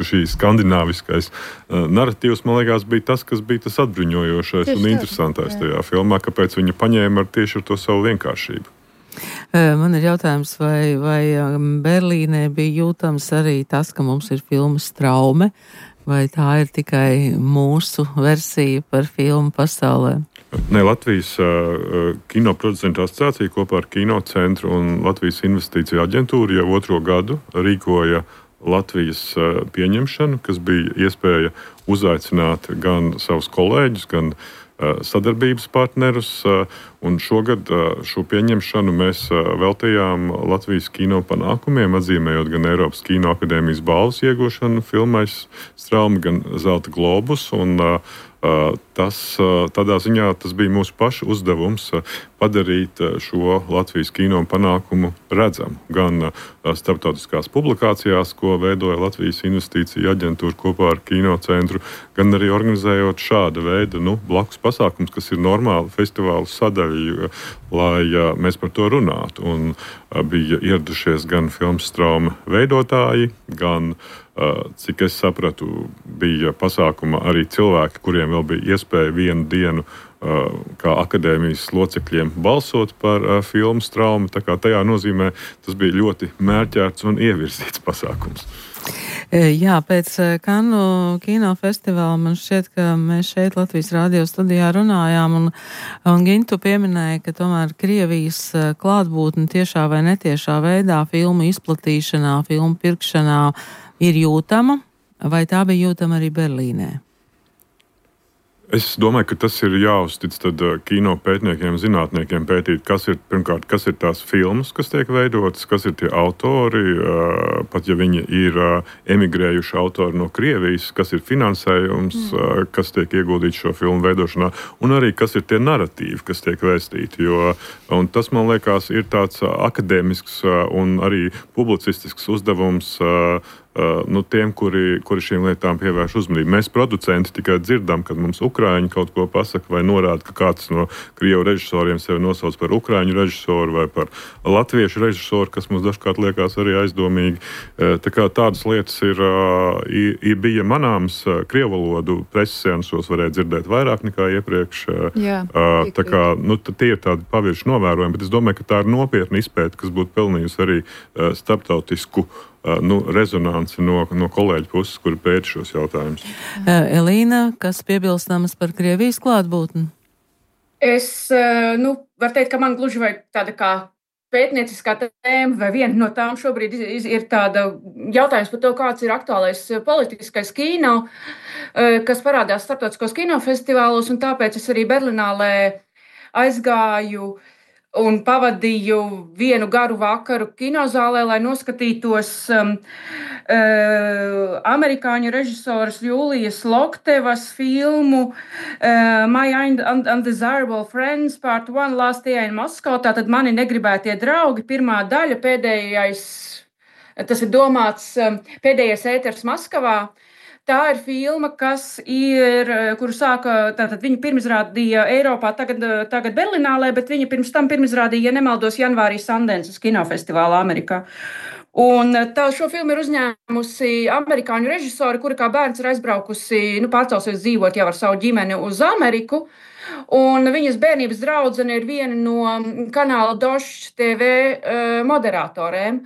šī skandināviskais naratīvs, man liekas, bija tas, kas bija tas atbruņojošais un interesantais tajā filmā, kāpēc viņa paņēma tieši ar to savu vienkāršību. Man ir jautājums, vai Berlīnē bija jūtams arī tas, ka mums ir filmas Traume, vai tā ir tikai mūsu versija par filmu pasaulē? Ne, Latvijas kinoproducentu asociācija kopā ar Kino centru un Latvijas investīciju aģentūru jau 2. gadu rīkoja Latvijas pieņemšanu, kas bija iespēja uzaicināt gan savus kolēģus, gan sadarbības partnerus, un šogad šo pieņemšanu mēs veltījām Latvijas kino panākumiem, atzīmējot gan Eiropas Kino akadēmijas balvas iegūšanu filmais Straumi, gan Zelta globus, un tādā ziņā tas bija mūsu pašu uzdevums padarīt šo Latvijas kino panākumu redzamu. Gan starptautiskās publikācijās, ko veidoja Latvijas investīcija aģentūra kopā ar Kino centru, gan arī organizējot šāda veida blakus pasākums, kas ir normāli festivālu sadaļa, lai mēs par to runātu. Un bija ieradušies gan filmas Trauma veidotāji, gan cik es sapratu, bija pasākuma arī cilvēki, kuriem vēl bija iespēja vienu dienu kā akadēmijas locekļiem balsot par filmu Trauma. Tā kā tajā nozīmē tas bija ļoti mērķēts un ievirzīts pasākums. Jā, pēc Kannu kinofestivāla man šķiet, ka mēs šeit Latvijas radio studijā runājām, un Gintu pieminēja, ka tomēr Krievijas klātbūtne tiešā vai netiešā veidā filmu izplatīšanā, filmu pirkšanā ir jūtama, vai tā bija jūtama arī Berlīnē? Es domāju, ka tas ir jāuztic kino pētniekiem, zinātniekiem pētīt, pirmkārt, kas ir tās filmas, kas tiek veidotas, kas ir tie autori, pat ja viņi ir emigrējuši autori no Krievijas, kas ir finansējums, kas tiek ieguldīts šo filmu veidošanā, un arī kas ir tie naratīvi, kas tiek vēstīti. Un tas, man liekas, ir tāds akadēmisks un arī publicistisks uzdevums tiem, kuri šīm lietām pievērš uzmanību. Mēs, producenti, tikai dzirdam, kad mums ukraiņi kaut ko pasaka vai norāda, ka kāds no krievu režisoriem sevi nosauc par ukraiņu režisoru vai par latviešu režisoru, kas mums dažkārt liekas arī aizdomīgi. Tā kā tādas lietas bija manāms. Krievu valodu preses seansos varēja dzirdēt vairāk nekā iepriekš. Jā, tā kā, tie ir tādi pavirši novērojumi, bet es domāju, ka tā ir nopietna izpēta, kas būtu pelnījusi arī starptautisku rezonanci no kolēģu puses, kuri pēta šos jautājumus. Elīna, kas piebilstams par Krievijas klātbūtni? Es varu teikt, ka man gluži vai tāda kā pētnieciskā tēma, vai viena no tām šobrīd ir tāda jautājums par to, kāds ir aktuālais politiskais kino, kas parādās starptautiskos kinofestivālos, un tāpēc es arī Berlinālē aizgāju un pavadīju vienu garu vakaru kinozālē, lai noskatītos amerikāņu režisoras Jūlijas Loktevas filmu My Undesirable Friends Part 1 Last Year in Moscow. Tātad Mani negribētie draugi, pirmā daļa, pēdējais, tas ir domāts pēdējais ēters Maskavā. Tā ir filma, kuru tātad viņa pirmizrādīja Eiropā, tagad Berlinālē, bet viņa pirms tam pirmizrādīja, ja nemaldos, janvārī Sundance kinofestivālā Amerikā. Un šo filmu ir uzņēmusi amerikāņu režisori, kura kā bērns ir aizbraukusi, pārcelsies dzīvot jau ar savu ģimeni uz Ameriku. Un viņas bērnības draudzene ir viena no kanāla Dosh TV moderatorēm.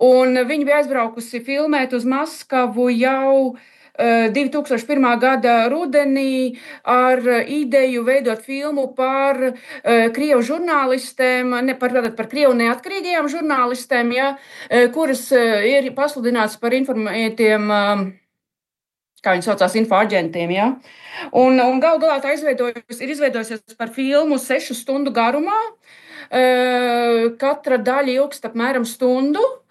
Un viņa bija aizbraukusi filmēt uz Maskavu jau 2001. gada rudenī ar ideju veidot filmu par krievu žurnālistēm, par krievu neatkarīgajām žurnālistēm, kuras ir pasludināts par informētiem, kā viņi saucās, infoaģentiem. Ja? Un galu galā tā ir izveidojusies par filmu 6 stundu garumā. Katra daļa ilgst apmēram stundu.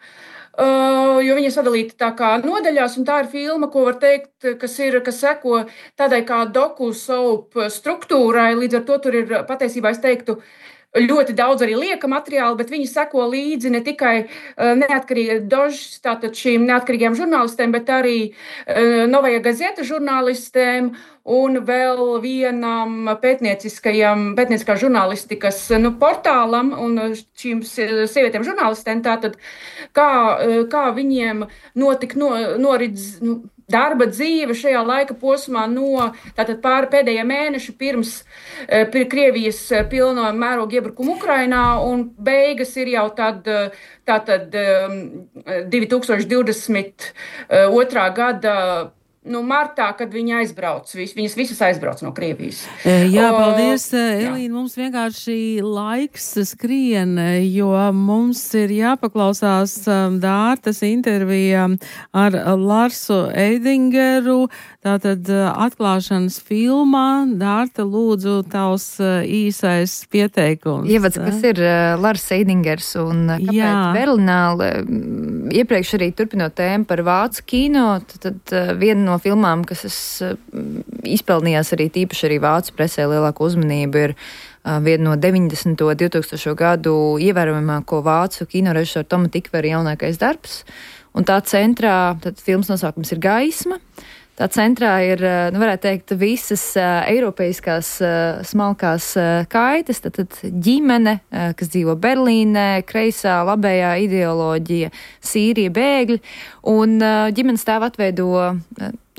Jo viņa ir sadalīta tā kā nodaļās, un tā ir filma, ko var teikt, kas seko tādai kā doku-soap struktūrai. Līdz ar to tur ir patiesībā, es teiktu, ļoti daudz arī lieka materiāla, bet viņi seko līdzi ne tikai tātad šīm neatkarīgajām žurnālistēm, bet arī Novaja Gazeta žurnālistēm un vēl vienam pētnieciskā žurnālistikas portālam un šīm sievietēm žurnālistēm. Tātad, kā viņiem norit darba dzīve šajā laika posmā no pēdējā mēneša pirms Krievijas pilno mēroga iebrukuma Ukrainā, un beigas ir jau tātad 2022. Gada martā, kad viņi viņas visas aizbrauc no Krievijas. Jā, paldies, Elīna. Mums vienkārši laiks skrien, jo mums ir jāpaklausās Dārtas intervija ar Larsu Eidingeru, tātad atklāšanas filmā. Dārta, lūdzu, tavs īsais pieteikums. Ievads, kas ir Lars Eidingers un kāpēc Berlināle? Iepriekš arī turpinot tēmu par vācu kino, tad viena no filmām, kas izpelnījās arī tīpaši arī vācu presē lielāku uzmanību, ir viena no 90. 2000. gadu ievērojamāko vācu kinorežisora Toma Tikvera jaunākais darbs. Un tā centrā, tad filmas nosaukums ir Gaisma. Tā centrā ir, varētu teikt, visas eiropeiskās smalkās kaitas, tad ģimene, kas dzīvo Berlīnē, kreisā, labējā ideoloģija, Sīrija, bēgļi, un ģimenes tēvu atveido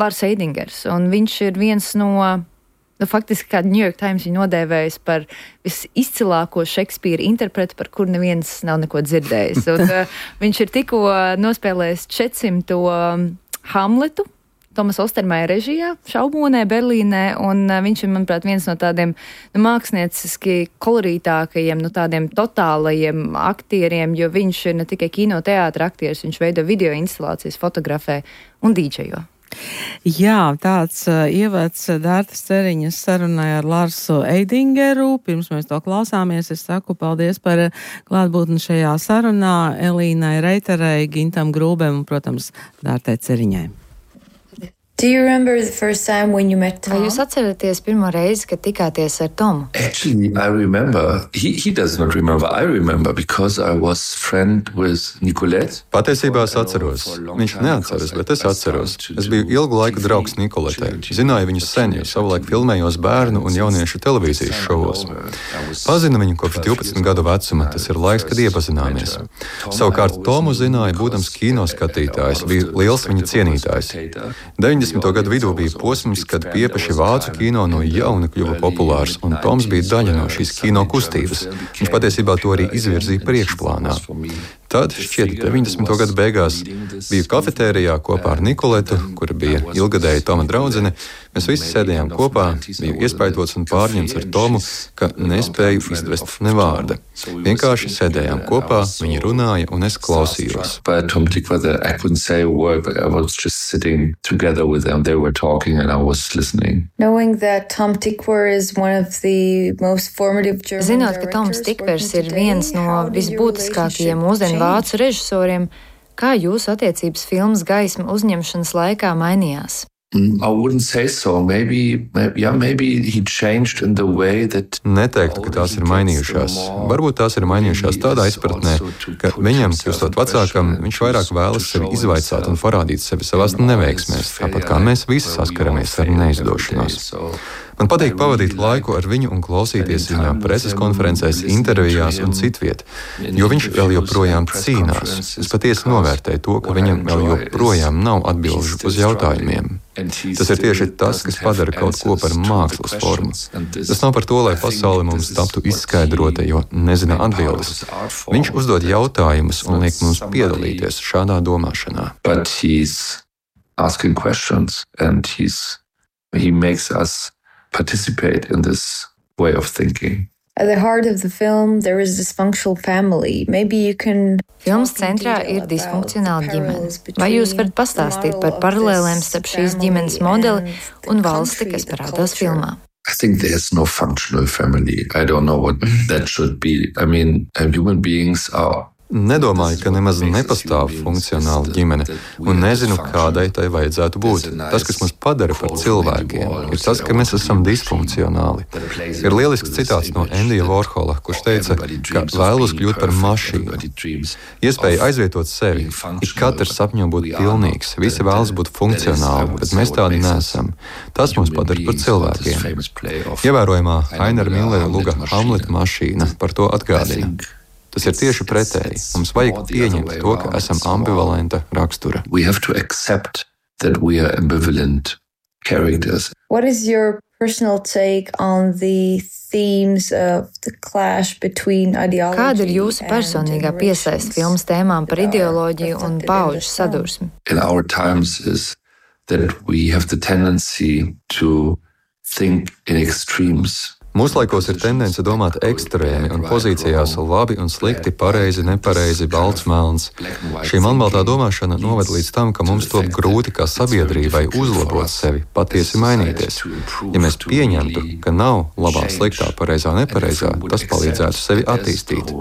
Lars Eidingers, un viņš ir viens no, faktiski kā New York Times viņu nodēvējis par visizcilāko Šekspīra interpretu, par kur neviens nav neko dzirdējis. Un, viņš ir tikko nospēlējis 400. Hamletu, Tomas Ostermaja režijā, Šaubonē, Berlīnē, un viņš ir, manuprāt, viens no tādiem mākslinieciski kolorītākajiem, tādiem totālajiem aktieriem, jo viņš ir ne tikai kinoteātra aktieris, viņš veido video instalācijas, fotografē un dīdžejo. Jā, tāds ievads Dārtas Ceriņas sarunai ar Larsu Eidingeru. Pirms mēs to klausāmies, es saku paldies par klātbūtni šajā sarunā Elīnai Reiterei, Gintam Grūbem un, protams, Dārtai Ceriņai. Do you remember the first time when you met Tom? Vai jūs atceraties pirmo reizi, kad tikāties ar Tomu? Actually, I remember. He does not remember. I remember because I was friend with Nicolette. Patiesībā es atceros. Viņš neatceras, bet es atceros. Es biju ilgu laiku draugs Nicoletei. Zināju viņu sen, jo savulaik filmējos bērnu un jauniešu televīzijas šovos. Pazinu viņu kopš 12 gadu vecuma. Tas ir laiks, kad iepazināmies. Savukārt Tomu zināju, būdams kinoskatītājs, bija liels viņa cienītājs. 90. gadu vidū bija posms, kad piepaši vācu kino no jauna kļuva populārs, un Toms bija daļa no šīs kino kustības. Viņš patiesībā to arī izvirzīja priekšplānā. Tad, šķiet, 90. gadu beigās, biju kafetērijā kopā ar Nicoletu, kura bija ilgadēja Toma draudzene. Mēs visi sēdējām kopā, biju iespaidots un pārņemts ar Tomu, ka nespēju izvest ne vārda. Vienkārši sēdējām kopā, viņi runāja un es klausījos. Tom Tykwer, I couldn't say a word, but I was just sitting together with them. They were talking and I was listening. Knowing that Tom Tykwer is one of the most formative German Zinot, ka Toms Tikwers ir viens no visbūtiskākajiem mūsdienu vācu režisoriem, kā jūsu attiecības filmas Gaisma uzņemšanas laikā mainījās? I wouldn't say so. Maybe he changed in the way that. Neteiktu, ka tās ir mainījušās. Varbūt tās ir mainījušās tādā izpratnē, ka viņam, kļūstot vecākam, viņš vairāk vēlas sevi izvaicāt un parādīt sevi savās neveiksmēs, tāpat kā mēs visi saskaramies ar neizdošanos. Man patīk pavadīt laiku ar viņu un klausīties viņa preses konferencēs, intervijās un citviet, jo viņš vēl joprojām cīnās. Es patiesi novērtēju to, ka viņam vēl joprojām nav atbilžu uz jautājumiem. Tas ir tieši tas, kas padara kaut ko par mākslas formu. Tas nav par to, lai pasaule mums taptu izskaidrota, jo nezina atbildes. Viņš uzdod jautājumus un liek mums piedalīties šādā domāšanā. But he's asking questions and he makes us participate in this way of thinking. At the heart of the film, there is a dysfunctional family. Maybe you can. Filmas centrā ir disfunkcionāla ģimene. Vai jūs varat pastāstīt par paralēlēm starp šīs ģimenes modeli un valsti, kas parādās filmā? I think there's no functional family. I don't know what that should be. I mean, human beings are. Nedomāju, ka nemaz nepastāv funkcionāla ģimene, un nezinu, kādai tai vajadzētu būt. Tas, kas mūs padara par cilvēkiem, ir tas, ka mēs esam disfunkcionāli. Ir lielisks citāts no Endija Vorhola, kurš teica, ka vēlos kļūt par mašīnu. Iespēja aizvietot sevi. Ik katrs sapņo būt pilnīgs, visi vēlas būt funkcionāli, bet mēs tādi neesam. Tas mūs padara par cilvēkiem. Ievērojamā Ainera Millera luga Hamleta mašīna par to atgādina. Tas ir tieši pretēji. Mums vajag pieņemt to, ka esam ambivalenta rakstura. We have to accept that we are ambivalent characters. What is your personal take on the themes of the clash between ideology? Kāda ir jūsu personīgā piesaiste filmas tēmām par ideoloģiju un paudžu sadursmi? In our times is that we have the tendency to think in extremes. Mūslaikos ir tendence domāt ekstrēmi un pozīcijās labi un slikti, pareizi, nepareizi, balts, melns. Šī melnbaltā domāšana noved līdz tam, ka mums top grūti kā sabiedrībai uzlabot sevi, patiesi mainīties. Ja mēs pieņemtu, ka nav labā, sliktā, pareizā, nepareizā, tas palīdzētu sevi attīstīt.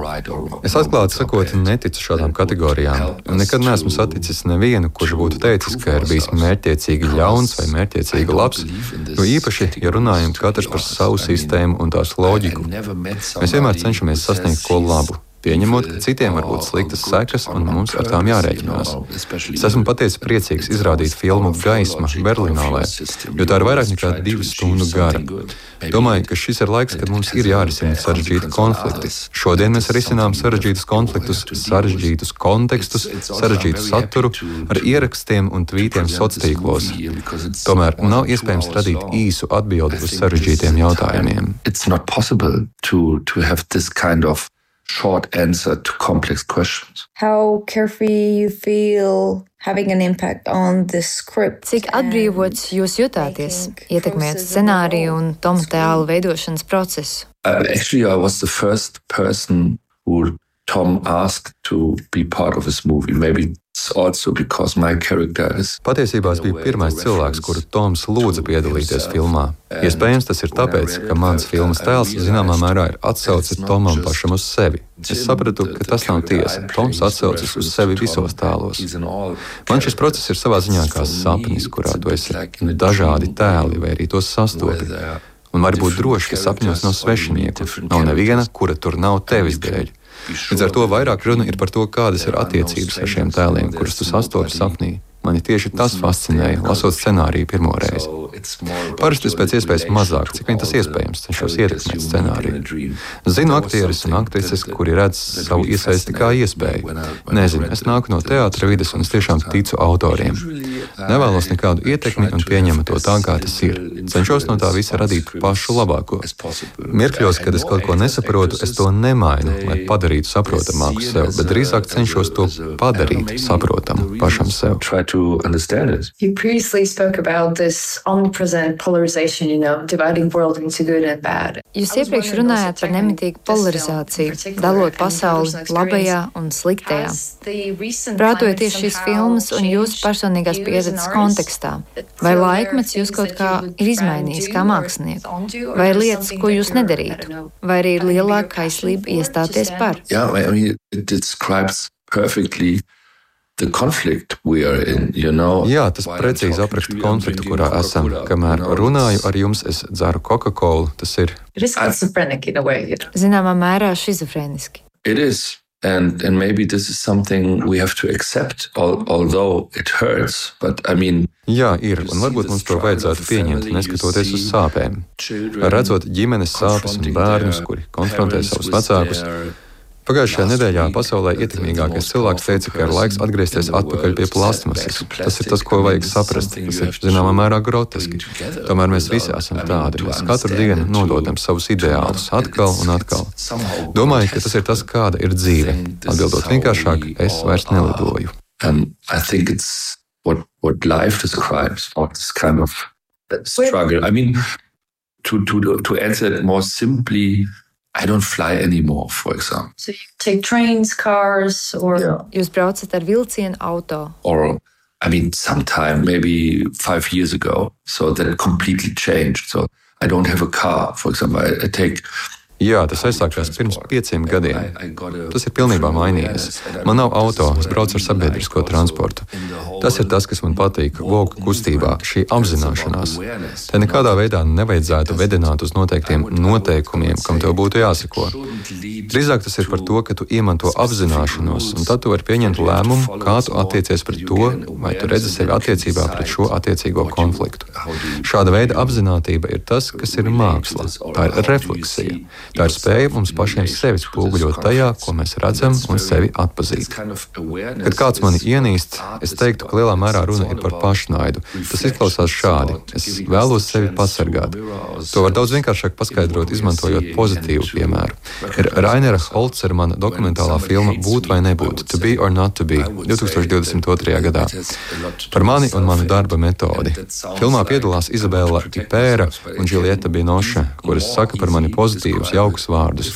Es atklāti sakot neticu šādām kategorijām, un nekad neesmu saticis nevienu, kurš būtu teicis, ka ir bijis mērķtiecīgi ļauns vai mērķtiecīgi labs, jo īpaši, ja runājam katrs par savu sistēmu un tās loģiku. Mēs vienmēr cenšamies sasniegt ko labu, pieņemot, ka citiem var būt sliktas sekas un mums ar tām jārēķinās. Es esmu patiesi priecīgs izrādīt filmu Gaisma Berlinālē, jo tā ir vairāk nekā 2 stundu gara. Domāju, ka šis ir laiks, kad mums ir jārisina sarežģīti konflikti. Šodien mēs risinām sarežģītus konfliktus, sarežģītus kontekstus, sarežģītu saturu ar ierakstiem un tvītiem sociālos. Tomēr nav iespējams radīt īsu atbildi uz sarežģītiem jautājumiem. It's not possible to have this kind of short answer to complex questions. How carefree you feel having an impact on the script. Cik atbrīvots jūs jutāties, ietekmējot scenāriju un Toma tēla veidošanas procesu? Actually, I was the first person who Tom asked to be part of his movie. Maybe it's also because my character is. Patiesībā es biju pirmais cilvēks, kuru Toms lūdza piedalīties filmā. Iespējams, tas ir tāpēc, ka mans filmas tēls zināmā mērā ir atsauce Tomam pašam uz sevi. Es sapratu, ka tas nav tiesa. Toms atsaucas uz sevi visos tēlos. Man šis process ir savā ziņā kā sapnis, kurā tu esi dažādi tēli vai arī tos sastopi. Un var būt droši, ka sapņos nav svešinieku. Nav neviena, kura tur nav tevis dēļ. Līdz ar to vairāk runa ir par to, kādas ir attiecības ar šiem tēliem, kurus tu sastopi sapnī. Mani tieši tas fascinēja, lasot scenāriju pirmoreiz. Parasti es pēc iespējas mazāk, cik vien tas iespējams, cenšos ietekmēt scenāriju. Zinu aktierus un aktrises, kuri redz savu iesaisti kā iespēju. Nezinu, es nāku no teātra vides un es tiešām ticu autoriem. Nevēlos nekādu ietekmi un pieņemu to tā, kā tas ir. Cenšos no tā visa radīt pašu labāko. Mirkļos, kad es kaut ko nesaprotu, es to nemainu, lai padarītu saprotamāku sev, bet drīzāk cenšos to padarīt saprotamu pašam sev. You previously spoke about this present polarization, dividing world into good and bad. Jūs iepriekš runājāt par nemitīgu polarizāciju, dalot pasauli labajā un sliktajā. Prātojoties šīs filmas un jūsu personīgās pieredzes kontekstā, vai laikmets jūs kaut kā ir izmainījis kā mākslinieku? Vai ir lietas, ko jūs nedarītu? Vai arī ir lielāka kaislība iestāties par? It describes perfectly the conflict we are in, Jā, tas precīzi apraksta konfliktu, kurā esam. Kamēr runāju ar jums, es dzeru Coca-Colu. Tas ir. Zināmā mērā šizofrēniski. It is. And maybe this is something we have to accept, although it hurts. But Jā, ir, un varbūt mums to vajadzētu pieņemt, neskatoties uz sāpēm. Redzot ģimenes sāpes un bērnus, kuri konfrontē savus vecākus. Pagājušajā nedēļā pasaulē ietekmīgākais cilvēks teica, ka ir laiks atgriezties atpakaļ pie plastmasas. Tas ir tas, ko vajag saprast. Tas ir zināmā mērā groteski. Tomēr mēs visi esam tādi. Mēs katru dienu nododam savus ideālus atkal un atkal. Domāju, ka tas ir tas, kāda ir dzīve. Atbildot vienkāršāk, es vairs nelidoju. I think it's what life describes, or this kind of struggle. To answer it more simply, I don't fly anymore, for example. So you take trains, cars, or... Jūs braucat ar vilcienu, auto. Or, sometime, maybe 5 years ago. So that completely changed. So I don't have a car, for example. I take... Jā, tas aizsākās pirms 5 gadiem. Tas ir pilnībā mainījies. Man nav auto, es braucu ar sabiedrisko transportu. Tas ir tas, kas man patīk vogu kustībā, šī apzināšanās. Te nekādā veidā nevajadzētu vedināt uz noteiktiem noteikumiem, kam tev būtu jāseko. Drīzāk tas ir par to, ka tu iemanto apzināšanos, un tad tu vari pieņemt lēmumu, kā tu attiecies pret to, vai tu redzi sevi attiecībā pret šo attiecīgo konfliktu. Šāda veida apzinātība ir tas, kas ir māksla. Tā ir refleksija. Tā ir spēja mums pašiem sevi spoguļot tajā, ko mēs redzam, un sevi atpazīt. Kad kāds mani ienīst, es teiktu, ka lielā mērā runa ir par pašnaidu. Tas izklausās šādi. Es vēlos sevi pasargāt. To var daudz vienkāršāk paskaidrot, izmantojot pozitīvu piemēru. Ir Rainera Holzermana dokumentālā filma Būt vai nebūt, To be or not to be, 2022. gadā. Par mani un manu darba metodi. Filmā piedalās Izabela Ipēra un Džiljeta Binoša, kuras saka par mani pozitīvus, jaukus vārdus.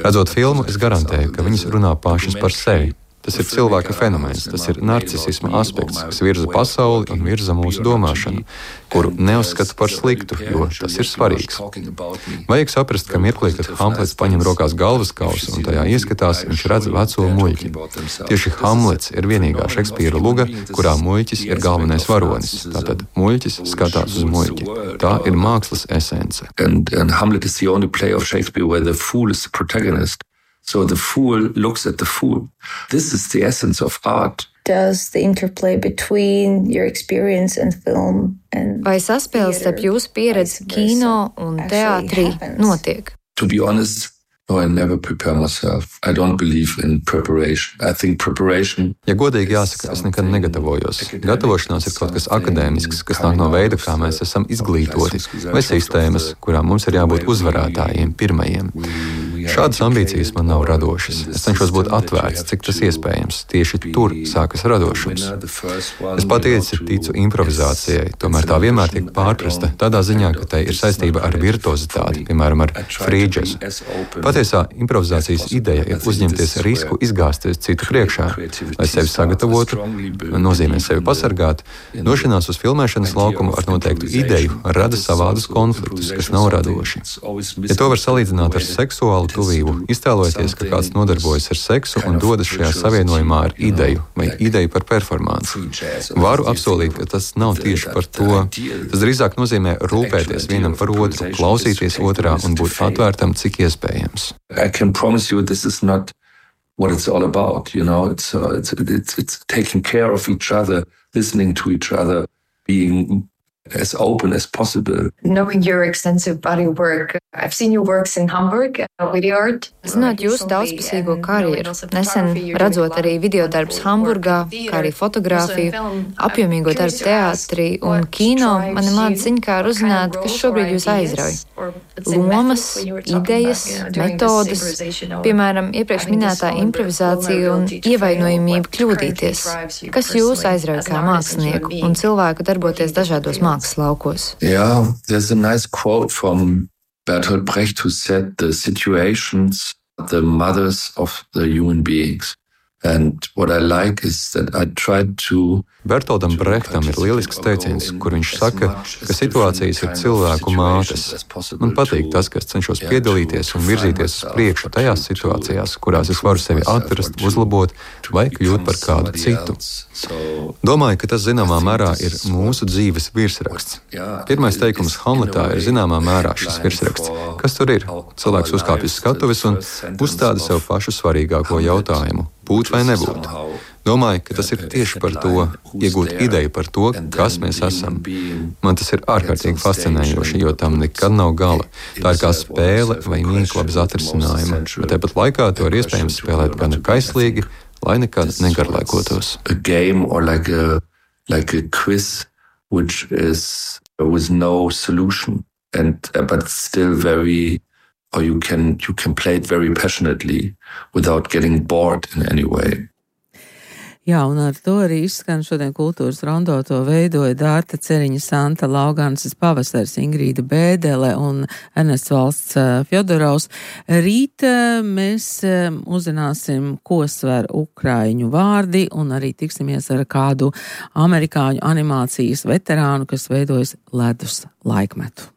Redzot filmu, es garantēju, ka viņas runā pašas par sevi. Tas ir cilvēka fenomens, tas ir narcisisma aspekts, kas virza pasauli un virza mūsu domāšanu, kuru neuzskata par sliktu, jo tas ir svarīgs. Vajag saprast, ka mirklī, kad Hamlets paņem rokās galvaskausu un tajā ieskatās, viņš redz veco muļķi. Tieši Hamlets ir vienīgā Šekspīra luga, kurā muļķis ir galvenais varonis. Tātad muļķis skatās uz muļķi. Tā ir mākslas esence. And Hamlet is the only play of Shakespeare where the fool is the protagonist. So the fool looks at the fool. This is the essence of art. Does the interplay between your experience and film and Vai saspēles starp jūsu pieredzi kino un teātrī notiek? To be honest, no, I never prepare myself. I don't believe in preparation. I think preparation... Ja godīgi jāsaka, es nekad negatavojos. Gatavošanās ir kaut kas akadēmisks, kas nāk no veida, kā mēs esam izglītoti, vai sistēmas, kurām mums ir jābūt uzvarētājiem, pirmajiem. Šādas ambīcijas man nav radošas. Es cenšos būt atvērts, cik tas iespējams. Tieši tur sākas radošums. Es patiesi ticu improvizācijai, tomēr tā vienmēr tiek pārprasta tādā ziņā, ka tai ir saistība ar virtuozitāti, piemēram, ar free jazz. Patiesā improvizācijas ideja ir uzņemties risku izgāzties citu priekšā, lai sevi sagatavotu, nozīmē sevi pasargāt. Došanās uz filmēšanas laukumu ar noteiktu ideju rada savādus konfliktus, kas nav radoši. Ja to var salīdzināt ar seksuālu tuvību, iztēlojoties, ka kāds nodarbojas ar seksu un dodas šajā savienojumā ar ideju vai ideju par performansu. Varu apsolīt, ka tas nav tieši par to. Tas drīzāk nozīmē rūpēties vienam par otru, klausīties otrā un būt atvērtam, cik iespējams. I can promise you this is not what it's all about, it's taking care of each other, listening to each other, being as open as possible. Knowing your extensive body work, I've seen your works in Hamburg, video art. Zinot jūsu daudzpusīgo karjeru, nesen redzot arī videodarbus Hamburgā, kā arī fotografiju, apjomīgo darbu teātrī un kino, mani māca ziņkāri uzzināt, kas šobrīd jūs aizrauj. lomas, idejas, metodes, piemēram, iepriekš minētā improvizācija un ievainojamība kļūdīties. Kas jūs aizrauj kā mākslinieku un cilvēku darboties dažādos mākslas laukos? Yeah, there's a nice quote from Bertolt Brecht who said the situations are the mothers of the human beings. And what I like is that I tried to Bertoldam Brehtam ir lielisks teiciens, kur viņš saka, ka situācijas ir cilvēku mātes. Man patīk tas, ka es cenšos piedalīties un virzīties uz priekšu tajās situācijās, kurās es varu sevi atrast, uzlabot vai kļūt par kādu citu. Domāju, ka tas zināmā mērā ir mūsu dzīves virsraksts. Pirmais teikums Hamletā ir zināmā mērā šis virsraksts. Kas tur ir? Cilvēks uzkāpj uz skatuves un uzstāda sev pašu svarīgāko jautājumu – būt vai nebūt. Domāju, ka tas ir tieši par to, iegūt ideju par to, kas mēs esam. Man tas ir ārkārtīgi fascinējoši, jo tam nekad nav gala. Tā ir kā spēle vai mīkla bez atrisinājuma, bet tāpat laikā to ir iespējams spēlēt gana kaislīgi, lai nekad negarlaikotos. A game or like a quiz which is with no solution but still very or you can play it very passionately without getting bored in any way. Jā, un ar to arī izskan šodien kultūras rondo. To veidoja Dārta Ceriņa, Santa Lauganses Pavasars, Ingrīda Bēdele un Ernests Valsts Fjodorovs. Rīt mēs uzzināsim, ko sver ukraiņu vārdi, un arī tiksimies ar kādu amerikāņu animācijas veterānu, kas veidojas ledus laikmetu.